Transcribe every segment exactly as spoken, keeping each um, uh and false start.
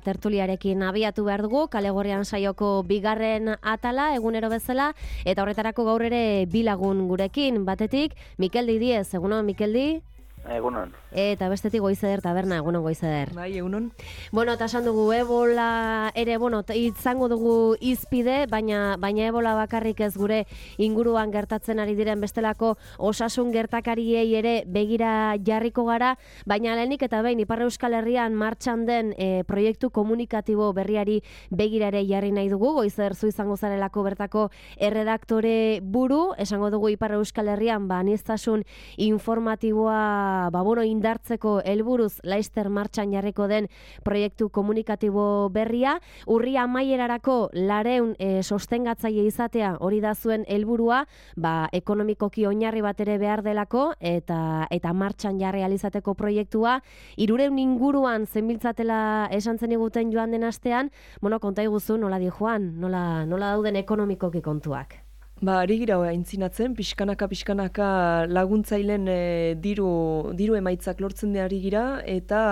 Tertuliarekin abiatu behar dugu, Kale Gorrian saioko bigarren atala, egunero bezala, eta horretarako gaur ere bi lagun gurekin, batetik, Mikeldi Diez, egunon, Mikeldi? Egunon. Eta bestetik Goizeder taberna, egunon Goizeder. Bai, egunon. Bueno, eta esan dugu ebola ere, bueno, izango dugu izpide, baina baina ebola bakarrik ez gure inguruan gertatzen ari diren bestelako osasun gertakariei ere begira jarriko gara, baina lehenik eta behin Ipar Euskal Herrian martxan den e, proiektu komunikatibo berriari begira ere jarri nahi dugu. Goizeder zu izango zarelako bertako erredaktore buru, esango dugu Ipar Euskal Herrian ba aniztasun informatiboa ba bueno indartzeko helburuz laister martxan jarriko den proiektu komunikatibo berria, urria amaierarako lareun e, sostengatzaile izatea hori da zuen helburua, ba ekonomikoki oinarri bat ere behar delako eta eta martxan jarri ahal izateko proiektua hirurehun inguruan zenbiltzatela esan zeniguten joan den astean, bueno, konta iguzu nola di joan, nola nola dauden ekonomikoki kontuak. Ba, ari gira aintzinatzen, pixkanaka pixkanaka laguntzailen e, diru, diru emaitzak lortzen ari gira, eta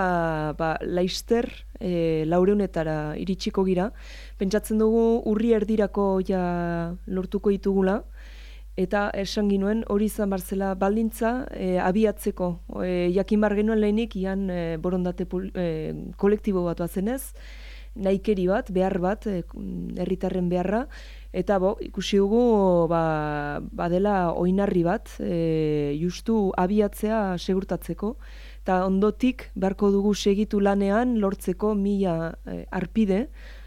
ba, laister e, laureunetara iritsiko gira. Pentsatzen dugu urri erdirako ja lortuko ditugula, eta esan ginuen hori izan barzela baldintza e, abiatzeko. E, jakin bar genuen lehenik, ian e, borondate e, kolektibo bat bazenez, nahikeri bat, behar bat, herritarren beharra, eta bo, ikusi dugu ba, badela oinarri bat, e, justu abiatzea segurtatzeko, eta ondotik beharko dugu segitu lanean lortzeko mila e, arpide,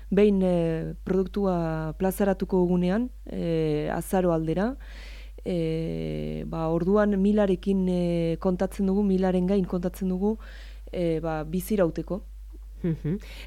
behin e, produktua plazaratuko dugunean, e, azaro aldera, e, ba, orduan milarekin e, kontatzen dugu, milaren gain kontatzen dugu, e, ba, bizirauteko.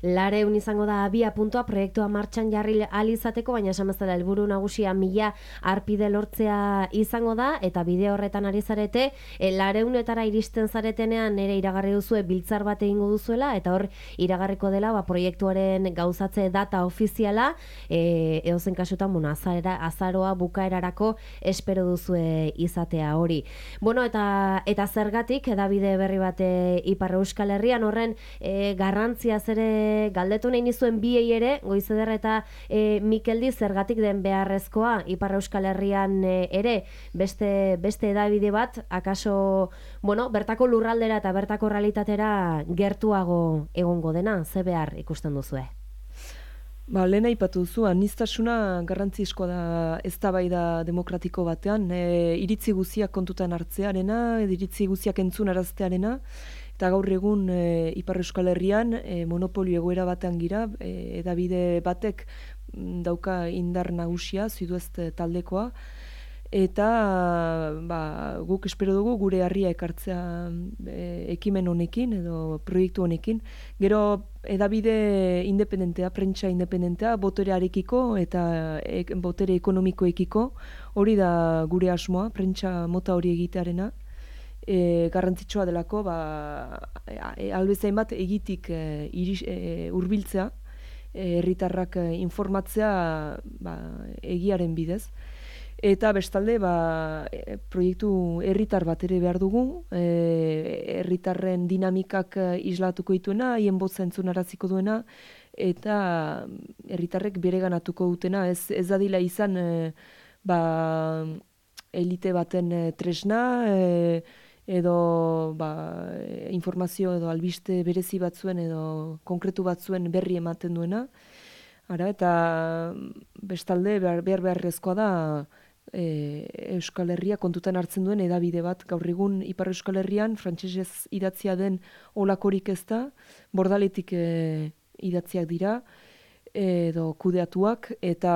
Lareun izango da abia puntua proiektua martxan jarri ahal izateko, baina esan bezala helburu nagusia mila arpide lortzea izango da, eta bide horretan ari zarete, e, lareunetara iristen zaretenean ere iragarri duzue biltzar bat egingo duzuela, eta hor iragarriko dela ba, proiektuaren gauzatze data ofiziala, e, edozen kasutan bueno, azara, azaroa bukaerarako espero duzue izatea hori. Bueno, eta, eta zergatik, edabide berri bate Ipar Euskal Herrian horren e, garrantzi ere galdetu nahi nizuen biei ere, Goizeder eta e, Mikeldi zergatik den beharrezkoa Ipar Euskal Herrian e, ere beste, beste edabide bat, akaso bueno, bertako lurraldera eta bertako realitatera gertuago egongo dena, ze behar ikusten duzue? Ba, lehen aipatu duzu, aniztasuna garrantzizkoa da eztabaida demokratiko batean, e, iritzi guziak kontutan hartzearena, iritzi guziak entzun araztearena, eta gaur egun e, Ipar Euskal Herrian e, monopolio egoera batean gira, e, edabide batek dauka indar nagusia, Zuduest taldekoa, eta ba, guk espero dugu gure harria ekartzea e, ekimen honekin edo proiektu honekin. Gero edabide independentea, prentsa independentea, boterearekiko eta e, botere ekonomikoekiko, hori da gure asmoa, prentsa mota hori egitearena. E, garrantzitsua delako ba, e, albezain bat egitik e, iris, e, urbiltzea, herritarrak e, informatzea ba, egiaren bidez. Eta bestalde ba, e, proiektu herritar bat ere behar dugu, herritarren e, dinamikak islatuko dituena, haien botza entzunaraziko duena, eta herritarrek bereganatuko dutena, ez, ez dadila izan e, ba, elite baten e, tresna, e, edo ba, informazio edo albiste berezi batzuen edo konkretu batzuen berri ematen duena. Ara, eta bestalde behar behar beharrezkoa da e, Euskal Herria kontutan hartzen duen edabide bat. Gaur egun Ipar Euskal Herrian frantsesez idatzia den olakorik ez da, bordaletik e, idatziak dira, edo kudeatuak, eta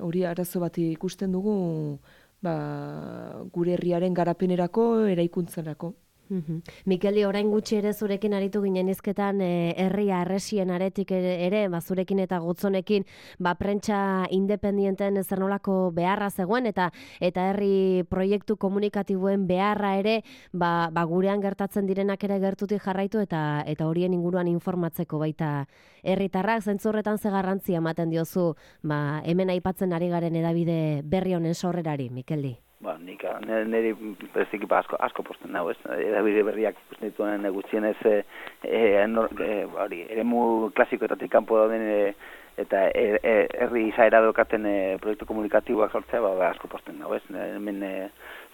hori um, arazo bat ikusten dugu ba, gure herriaren garapenerako, eraikuntzarako. Mm-hmm. Mikeldi, orain gutxi ere zurekin aritu ginen izketan e, herria arresien aretik ere, ere ba, zurekin eta gotzonekin ba, prentsa independienten zer nolako beharra zegoen eta eta herri proiektu komunikatiboen beharra ere ba, ba, gurean gertatzen direnak ere gertutik jarraitu eta eta horien inguruan informatzeko baita herritarrak. Zentzu horretan ze garrantzia ematen diozu ba, hemen aipatzen ari garen edabide berri honen sorrerari, Mikeldi? Ba, nik niri bereziki asko asko posten dago, ez? Edabide berriak ikusten dituen gutxienez e, e, e, hori, eremu klasikoetatik kanpo dauden e, eta herri izaera daukaten e, proiektu komunikatiboak sortzea, ba, ba asko posten dago, ez? Hemen e,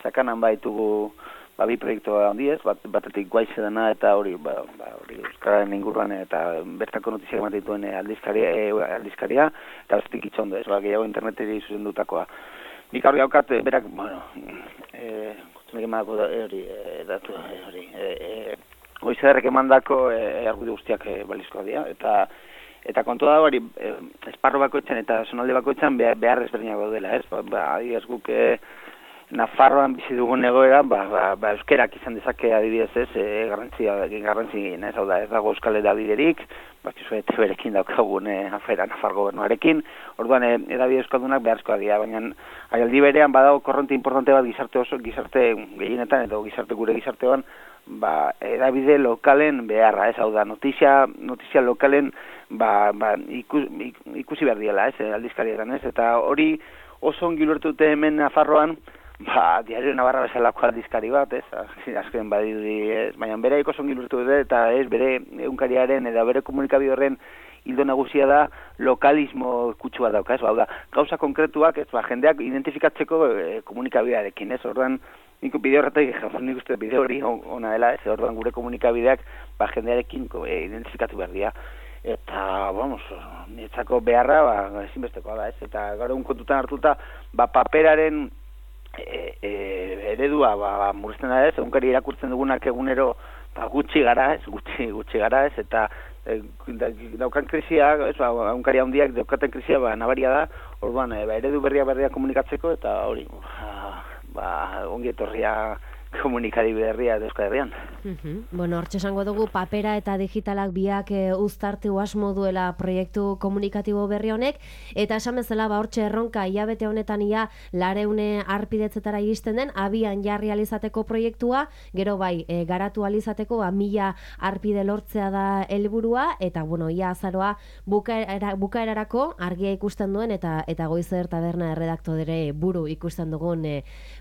sakanan baitugu ba bi proiektu handiez, bat batetik guaize dena eta hori, ba, ba hori euskararen inguruan eta bertako notiziak ematen dituen aldizkaria, e, aldizkaria eta bestetik itxondo, ez? Ba, gehiago interneteri zuzendutakoa. Nik hori haukat, berak, bueno, eh, kutsunik emanako hori, datu, hori, goizederrek emandako argudio guztiak balizkoa dira, eta eta kontua da hori, esparro bakoitzan eta zonalde bakoitzan behar ezberdinak daudela, ez? Ba, adibidez guk Nafarroan bizi dugun egoera, ba, ba, ba euskerak izan dezake adibidez ez, e, garrantzia, garrantzi, ez hau da, ez dago euskal edabiderik, bakizu eta berekin daukagun e, afera Nafar gobernuarekin, orduan e, edabide euskaldunak beharrezkoa dira, baina aldi berean badago korronte importante bat gizarte oso, gizarte gehienetan edo gizarte gure gizartean, ba, edabide lokalen beharra, ez hau da, notizia, notizia lokalen ba, ba, ikus, ikusi behar diela, ez, aldizkarietan, ez, eta hori oso ongi ulertute hemen Nafarroan, ba, Diario Navarra bezalako aldizkari bat, ez, azken badidi, ez, baina bere oso ongi ulertu dute, eta ez, bere egunkariaren eta bere komunikabide horren hildo nagusia da lokalismo kutsua dauka, ez, ba, da, gauza konkretuak, ez, ba, jendeak identifikatzeko e, komunikabidearekin, ez, orduan, nik bide horretak, nik uste bide hori ona dela, ez, orduan gure komunikabideak, ba, jendearekin e, identifikatu behar dira. Eta, vamos, nietzako beharra, ba, ezinbestekoa da, ez, eta gaur egun kontutan hartuta, ba, paperaren e, e, eredua, ba, ba murrizten da ez, egunkari irakurtzen dugunak egunero, ba, gutxi gara, ez, gutxi, gutxi gara, ez, eta e, daukan krisia, ez, ba, egunkari handiak daukaten krisia, ba, nabaria da, orduan, e, ba, eredu berria berria komunikatzeko, eta hori, ba, ba ongi etorria komunikari berria de Euskal Herrian. Uh-huh. Bueno, hortxe esango dugu papera eta digitalak biak e, uztartu asmo duela proiektu komunikatibo berri honek, eta esan bezala ba hortxe erronka hilabete honetan ia lareune arpidetzetara iristen den, abian jarri alizateko proiektua, gero bai, e, garatu alizateko ba, mila arpide lortzea da helburua, eta bueno, ia azaroa bukaera, bukaerarako argia ikusten duen, eta eta Goizer Taberna erredaktore buru ikusten dugun e,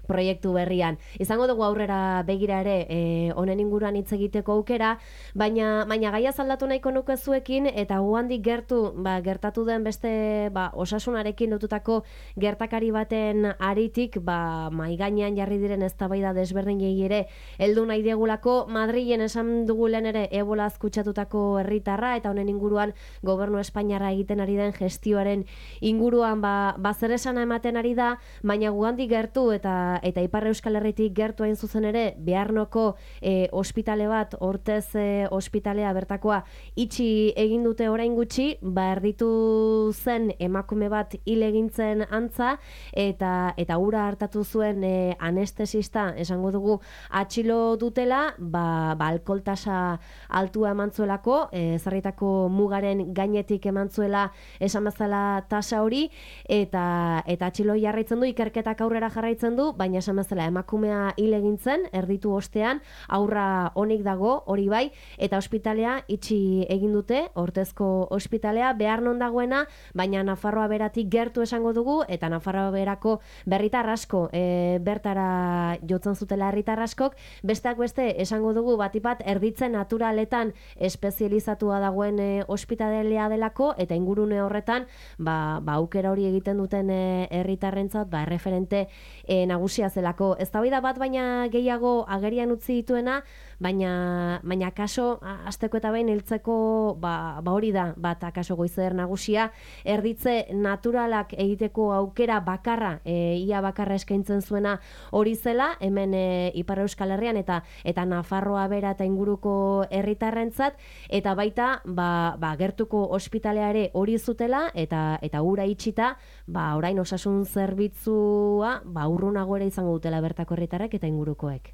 proiektu berrian. Izango dugu aurre begira ere honen e, inguruan hitz egiteko aukera, baina baina gaia zaldatu nahiko nuke zuekin, eta guandik gertu, ba, gertatu den beste ba, osasunarekin lotutako gertakari baten aritik, ba, mai gainean jarri diren eztabaida desberdinei ere heldu nahi diegulako. Madrilen esan dugu lehen ere ebolaz kutsatutako herritarra, eta honen inguruan gobernu Espainiarra egiten ari den gestioaren inguruan ba, ba zer esana ematen ari da, baina guandik gertu eta eta Ipar Euskal Herritik gertu hain zuzen ere, Bearnoko e, ospitale bat, Ortez e, ospitalea bertakoa itxi egin dute orain gutxi, ba erditu zen emakume bat hil egintzen antza, eta eta ura hartatu zuen e, anestesista, esango dugu atxilo dutela, ba, ba alkoholtasa altua emantzuelako, e, ezarritako mugaren gainetik emantzuela esan bezala tasa hori, eta eta atxilo jarraitzen du, ikerketak aurrera jarraitzen du, baina esan bezala emakumea hil egin zen, erditu ostean, aurra onik dago, hori bai, eta ospitalea itxi egin dute, Ortezko ospitalea, behar non dagoena, baina Nafarroa beratik gertu esango dugu, eta Nafarroa berako berritar asko, e, bertara jotzen zutela herritar askok, besteak beste esango dugu batipat erditzen naturaletan espezializatua dagoen e, ospitalea delako, eta ingurune horretan, ba, ba aukera hori egiten duten herritarrentzat, ba, erreferente e, nagusia zelako. Eztabaida bat baina gehiago agerian utzi dituena, baina baina kaso hasteko eta behin heltzeko ba, ba hori da, bat akaso Goizer nagusia, erditze naturalak egiteko aukera bakarra, e, ia bakarra eskaintzen zuena hori zela, hemen e, Ipar Euskal Herrian eta eta Nafarroa bera eta inguruko herritarrentzat, eta baita ba, ba gertuko ospitalea ere hori zutela, eta eta ura itxita, ba orain osasun zerbitzua ba urrunago ere izango dutela bertako herritarrek eta ingurukoek.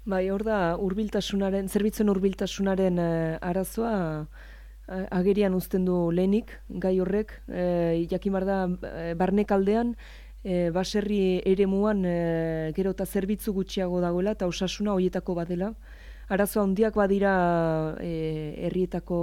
Bai, hor da, hurbiltasunaren, zerbitzuen hurbiltasunaren eh, arazoa eh, agerian uzten du lehenik, gai horrek, eh, jakin bar da, eh, barnekaldean, eh, baserri eremuan eh, gero eta zerbitzu gutxiago dagoela, eta osasuna horietako badela. Arazoa handiak badira eh, herrietako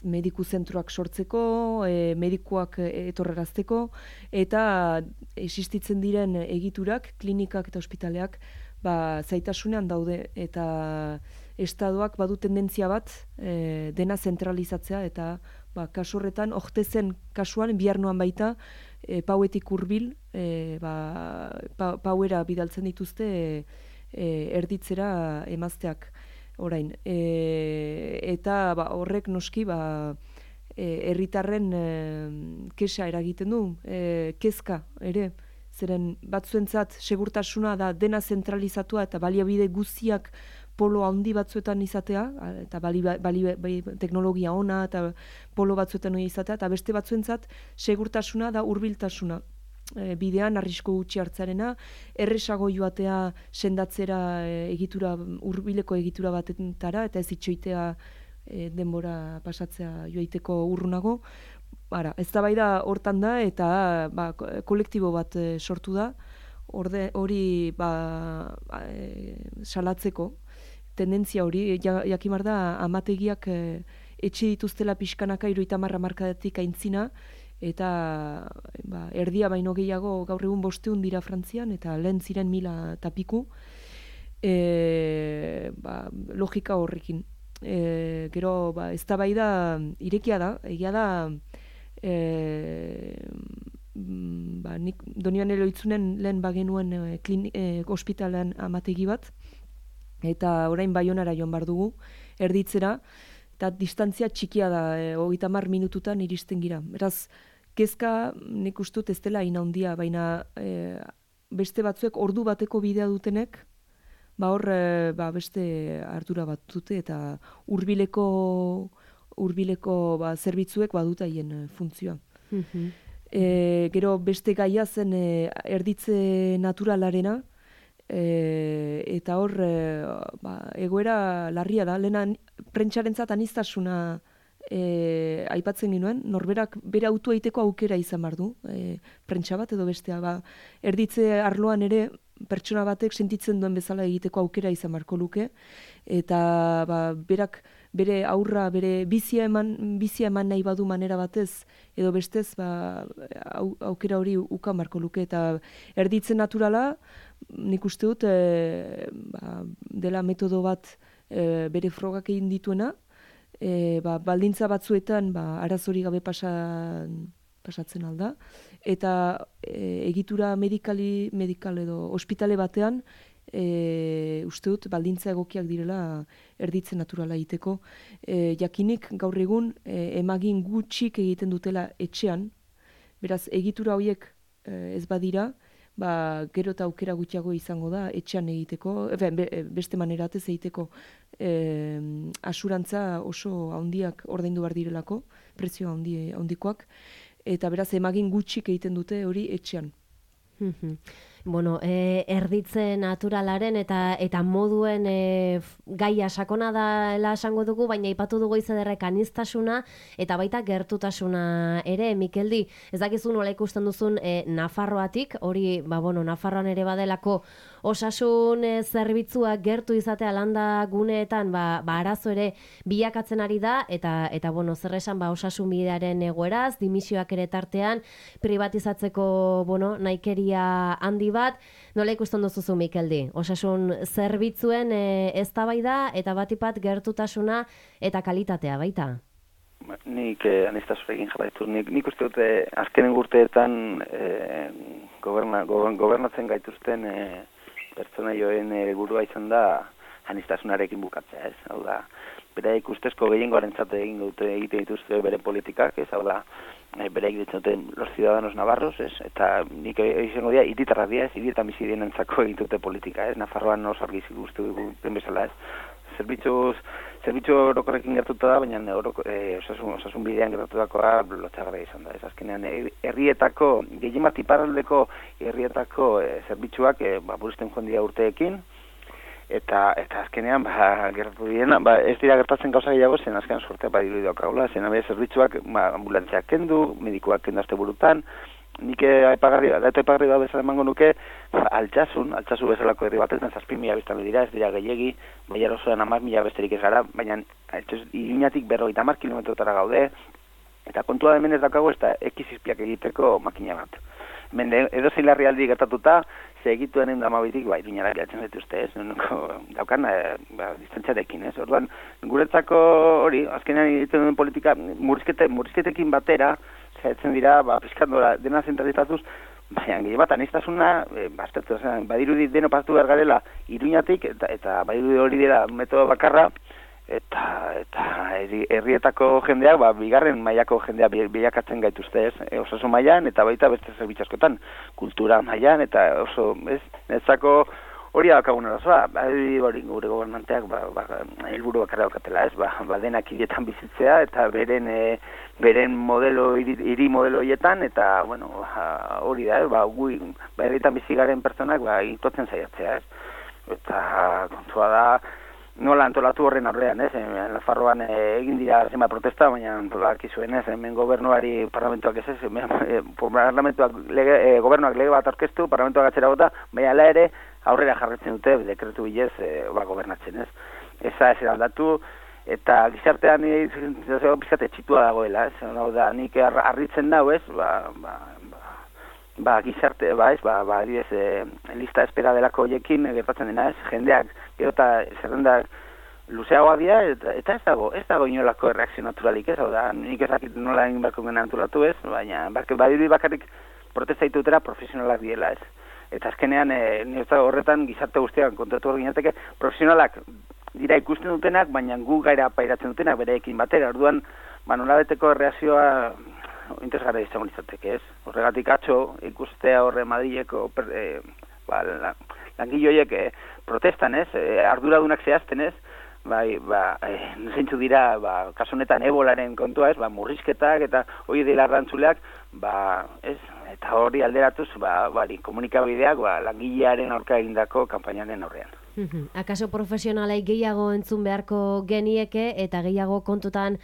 mediku zentroak sortzeko, e, medikuak etorrerazteko, eta existitzen diren egiturak, klinikak eta ospitaleak, ba, zaitasunean daude, eta estadoak badu tendentzia bat e, dena zentralizatzea, eta ba, kasu horretan, ortezen kasuan, biharnoan baita, e, pauetik hurbil, e, ba, pa, pauera bidaltzen dituzte e, e, erditzera emazteak orain. E, eta ba, horrek noski, ba, herritarren e, kesa eragiten du, e, kezka ere, zeren batzuentzat segurtasuna da dena zentralizatua eta baliabide guztiak polo handi batzuetan izatea, eta bali, bali, bali, teknologia ona eta polo batzuetan izatea, eta beste batzuentzat segurtasuna da hurbiltasuna. E, bidean arrisku gutxi hartzarena, erresago joatea sendatzera e, egitura, hurbileko egitura batentara, eta ez itxoitea e, denbora pasatzea joaiteko urrunago. Bara, ez da bai da hortan da, eta ba, kolektibo bat e, sortu da, orde, hori ba, e, salatzeko, tendentzia hori, ja, jakimar da, amategiak e, etxe dituztela pixkanaka hirurogeita hamar hamarkadatik aintzina, eta ba, erdia baino gehiago gaur egun bosteun dira Frantzian, eta lehen ziren mila tapiku, e, ba, logika horrekin. E, gero, ba, ez da bai da, irekia da, egia da, e, ba, nik Donian Eloitzunen lehen bagenuen e, klini, e, ospitalean amategi bat, eta orain Baionara joan bar dugu, erditzera, eta distantzia txikia da, e, hogeita hamar minututan iristen gira. Beraz, kezka nik ustut ez dela hain handia, baina e, beste batzuek ordu bateko bidea dutenek, ba hor e, ba beste ardura bat dute, eta hurbileko hurbileko ba, zerbitzuek badute haien e, funtzioa. Mm-hmm. E, gero beste gaia zen e, erditze naturalarena, E, eta hor e, ba, egoera larria da, lehena prentsarentzat aniztasuna e, aipatzen ginuen, norberak bere autua egiteko aukera izan behar du, e, prentsa bat edo bestea, ba, erditze arloan ere pertsona batek sentitzen duen bezala egiteko aukera izan beharko luke, eta ba, berak bere aurra, bere bizia eman, bizia eman nahi badu manera batez, edo bestez, ba, au, aukera hori ukan beharko luke, eta erditze naturala, nik uste dut e, ba, dela metodo bat e, bere frogak egin dituena, e, ba, baldintza batzuetan ba, arazori gabe pasa, pasatzen alda, eta e, egitura medikali, medikal edo ospitale batean e, uste dut baldintza egokiak direla erditze naturala egiteko. E, jakinik gaur egun e, emagin gutxik egiten dutela etxean, beraz egitura horiek e, ez badira, ba, gero eta aukera gutxiago izango da etxean egiteko, be, beste maneratez egiteko e, asurantza oso handiak ordaindu behar direlako, prezio handi, handikoak, eta beraz emagin gutxik egiten dute hori etxean. Bueno, e, erditze naturalaren eta eta moduen e, gaia sakona dela esango dugu, baina aipatu dugu izederrek aniztasuna eta baita gertutasuna ere, Mikeldi. Ez dakizu nola ikusten duzun e, Nafarroatik, hori, ba, bueno, Nafarroan ere badelako osasun e, zerbitzuak gertu izatea landa guneetan, ba, ba arazo ere bilakatzen ari da, eta, eta bueno, zer esan, ba, osasun bidearen egoeraz, dimisioak ere tartean, privatizatzeko, bueno, naikeria handi bat, nola ikusten duzuzu, Mikeldi? Osasun zerbitzuen e, eztabaida eta batipat gertutasuna eta kalitatea baita? Nik eh, aniztasunekin jarraitu. Nik, nik uste dute azkenen urteetan eh, goberna, gobernatzen gaituzten eh, pertsona joen helburua izan da aniztasunarekin bukatzea, ez? Hau da, bere ikustezko gehiengoarentzat egin dute egite dituzte bere politikak, ez? Hau da, bere egiten duten los ciudadanos navarros, ez? Eta nik izango dira, hiritarrak dira, ez? Hirietan bizi dienentzako egin dute politika, ez? Nafarroan oso argi ikusten dugu bezala, ez? Zerbitzuz, zerbitzu orokorrekin gertuta da, baina oroko, e, osasun, osasun bidean gertutakoa lotxagarria izan da. Ez azkenean, herrietako, gehien bat iparraldeko herrietako e, zerbitzuak e, ba, buruzten joan dira urteekin, eta eta azkenean, ba, gertatu diena, ba, ez dira gertatzen gauza gehiago, zen azkenean sortea badiru daukagula, zen abia zerbitzuak ba, ambulantziak kendu, medikuak kendu azte burutan, nik aipagarri, datu aipagarri da bezala emango nuke, altsasun, altsasu bezalako herri batetan zazpi mila biztanle dira, ez dira gehiegi, baiar osoan hamar mila besterik ez gara, baina Iruñatik berrogeita hamar kilometrotara gaude, eta kontua hemen ez daukagu ez da ekizizpiak egiteko makina bat. Hemen edo zein larrialdi gertatuta, ze egituen egin damabitik, ba, Iruñara geratzen dituzte, ez? Daukan, e, ba, distantziarekin, ez? Orduan, guretzako hori, azkenean egiten duen politika, murrizkete, murrizketekin batera, zaitzen dira, ba, piskandora, dena zentralitatuz, baina gehi bat, anistasuna, e, baztertu, badirudi deno pasatu behar garela Iruñatik, eta, eta badirudi hori dira metodo bakarra, eta eta herrietako jendeak, ba, bigarren mailako jendea bilakatzen gaituzte, ez? E, osasun mailan eta baita beste zerbitzu askotan, kultura mailan eta oso, ez? Netzako hori daukagun arazoa, hori gure gobernanteak ba, ba, helburu bakarra daukatela, ez? Ba, ba denak hirietan bizitzea eta beren e, beren modelo hiri, hiri modelo hietan eta bueno, ba, hori da, ez? Ba, gu ba herrietan bizi garen pertsonak ba itotzen saiatzea, ez? Eta kontua da nola antolatu horren aurrean, ez? Nafarroan egin dira zenbait protesta, baina bakizuen, ez? Hemen gobernuari parlamentuak ez ez, parlamentuak lege, e, gobernuak lege bat aurkeztu, parlamentuak atzera bota, baina ala ere aurrera jarretzen dute dekretu bilez e, ba, gobernatzen, ez? Eza ez aldatu, eta gizartean bizkate txitua dagoela, ez? Hau da, nik harritzen dau, ez? Ba, ba, ba, gizarte, ba, ez, ba, ba, adibidez, e, lista espera delako hoiekin gertatzen dena, ez, jendeak, gero eta zerrendak luzeagoa dira, eta, eta ez dago, ez dago inolako erreakzio naturalik, ez, hau da, nik ezakit nola egin barko gena naturatu, ez, baina, badirudi bakarrik protesta ditutera profesionalak diela, ez, eta azkenean, e, nire horretan gizarte guztiak kontatu hor ginateke, profesionalak dira ikusten dutenak, baina gu gaira pairatzen dutenak bereekin batera, orduan, ba, nolabeteko erreakzioa interesgarra izango litzateke, ez? Horregatik atzo ikustea horre Madrileko e, ba, la, langile horiek e, protestan, ez? E, arduradunak zehazten, ez? Bai, ba, e, zeintzu dira, ba, kasu honetan ebolaren kontua, ez? Ba, murrizketak eta hori dela rantzuleak, ba, ez? Eta hori alderatuz, ba, bari, komunikabideak, ba, langilearen aurka egindako kanpainaren aurrean. Akaso profesionalei gehiago entzun beharko genieke eta gehiago kontutan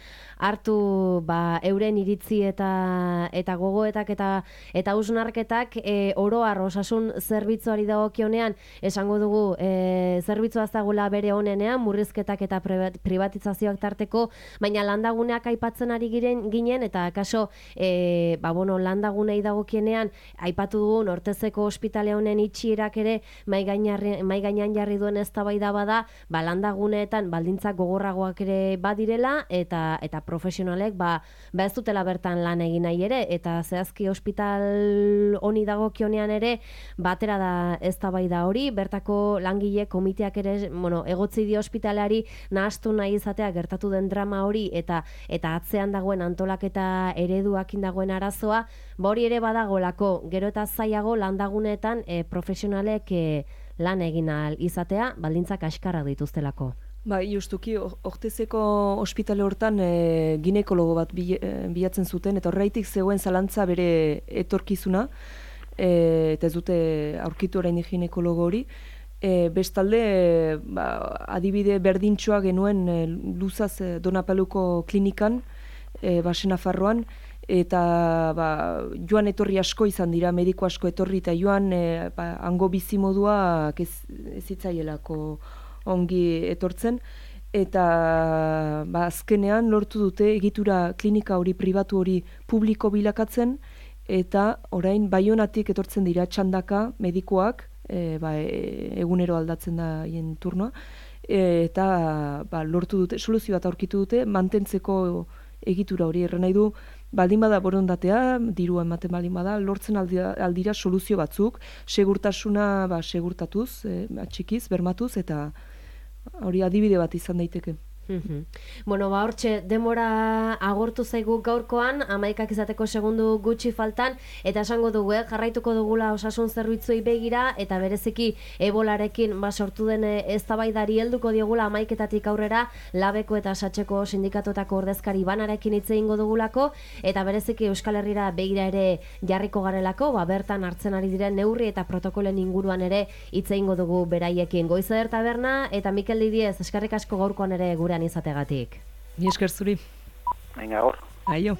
hartu ba, euren iritzi eta eta gogoetak eta eta hausnarketak e, oro har osasun zerbitzuari dagokionean esango dugu e, zerbitzua ez dagoela bere onenean murrizketak eta privatizazioak tarteko, baina landaguneak aipatzen ari giren ginen eta akaso e, ba, bueno, landagunei dagokienean aipatu dugu Nortezeko ospitale honen itxierak ere mai gainean jarri duen eztabaida bada, ba landaguneetan baldintzak gogorragoak ere badirela eta eta profesionalek ba, ba ez dutela bertan lan egin nahi ere eta zehazki ospital honi dagokionean ere batera da eztabaida hori, bertako langile komiteak ere, bueno, egotzi dio ospitalari nahastu nahi izatea gertatu den drama hori eta eta atzean dagoen antolaketa ereduakin dagoen arazoa, ba hori ere badagolako, gero eta zailago landaguneetan e, profesionalek e, lan egin ahal izatea, baldintzak askarrak dituztelako. Ba, justuki, Ortezeko ospitale hortan e, ginekologo bat bilatzen zuten, eta horreitik zegoen zalantza bere etorkizuna, e, eta ez dute aurkitu orain ginekologo hori. E, bestalde, e, ba, adibide berdintxoa genuen e, luzaz e, Donapaluko klinikan, e, Basen Nafarroan, eta ba, joan etorri asko izan dira, mediko asko etorri, eta joan e, ba, hango bizimodua ez, ez itzaielako ongi etortzen, eta ba, azkenean lortu dute egitura klinika hori pribatu hori publiko bilakatzen, eta orain Baionatik etortzen dira txandaka medikoak, e, ba, e, egunero aldatzen da hien turnoa, e, eta ba, lortu dute, soluzio bat aurkitu dute, mantentzeko egitura hori erren nahi du, baldin bada borondatea, dirua ematen baldin bada, lortzen aldira, aldira soluzio batzuk, segurtasuna ba, segurtatuz, e, txikiz, bermatuz, eta hori adibide bat izan daiteke. Mm-hmm. Bueno, ba hortxe demora agortu zaigu gaurkoan, hamaikak izateko segundu gutxi faltan, eta esango dugu, eh, jarraituko dugula osasun zerbitzuei begira, eta bereziki ebolarekin ba, sortu den eztabaidari helduko diogula hamaiketatik aurrera, Labeko eta Satxeko sindikatotako ordezkari banarekin hitz egingo dugulako, eta bereziki Euskal Herrira begira ere jarriko garelako, ba, bertan hartzen ari diren neurri eta protokolen inguruan ere hitz egingo dugu beraiekin. Goizer Taberna eta Mikel Didiez, eskerrik asko gaurkoan ere gure izategatik. Ni esker zuri. Venga, gaur. Aio.